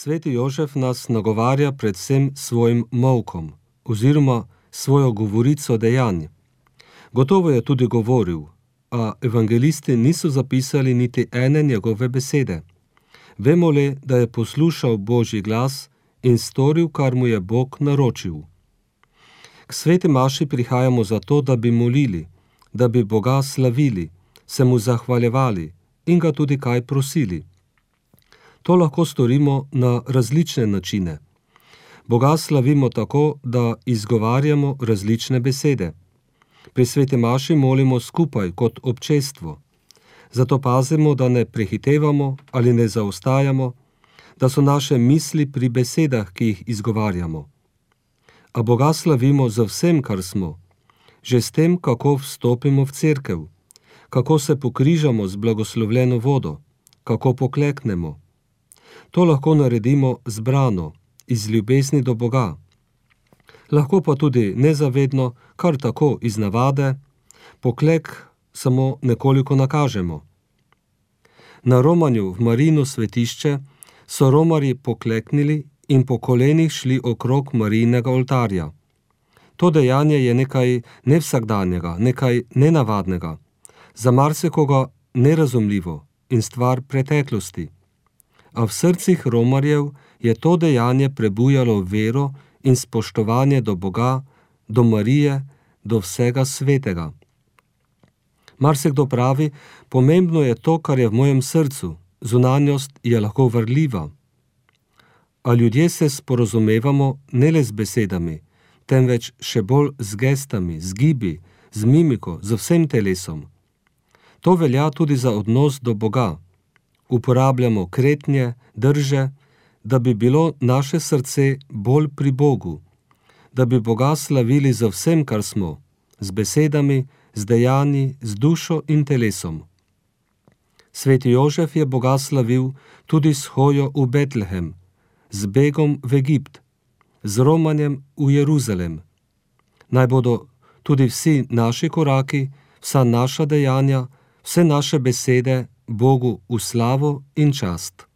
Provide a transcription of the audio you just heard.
Sveti Jožef nas nagovarja predvsem svojim molkom oziroma svojo govorico dejanj. Gotovo je tudi govoril, a evangelisti niso zapisali niti ene njegove besede. Vemo le, da je poslušal Božji glas in storil, kar mu je Bog naročil. K sveti maši prihajamo zato, da bi molili, da bi Boga slavili, se mu zahvaljevali in ga tudi kaj prosili. To lahko storimo na različne načine. Boga slavimo tako, da izgovarjamo različne besede. Pri sveti maši molimo skupaj kot občestvo. Zato pazimo, da ne prehitevamo ali ne zaostajamo, da so naše misli pri besedah, ki jih izgovarjamo. A Boga slavimo za vsem, kar smo, že s tem, kako vstopimo v cerkev, kako se pokrižamo z blagoslovljeno vodo, kako pokleknemo. To lahko naredimo zbrano, iz ljubezni do Boga. Lahko pa tudi nezavedno, kar tako iz navade, poklek samo nekoliko nakažemo. Na romanju v Marijino svetišče so romarji pokleknili in po kolenih šli okrog Marijinega oltarja. To dejanje je nekaj nevsakdanjega, nekaj nenavadnega, za marsikoga nerazumljivo in stvar preteklosti. A v srcih romarjev je to dejanje prebujalo vero in spoštovanje do Boga, do Marije, do vsega svetega. Marsikdo pravi, pomembno je to, kar je v mojem srcu, zunanjost je lahko varljiva. A ljudje se sporazumevamo ne le z besedami, temveč še bolj z gestami, z gibi, z mimiko, z vsem telesom. To velja tudi za odnos do Boga. Uporabljamo kretnje, drže, da bi bilo naše srce bolj pri Bogu, da bi Boga slavili za vsem, kar smo, z besedami, z dejanji, z dušo in telesom. Sveti Jožef je Boga slavil tudi s hojo v Betlehem, z begom v Egipt, z romanjem v Jeruzalem. Naj bodo tudi vsi naši koraki, vsa naša dejanja, vse naše besede Bogu v slavo in čast.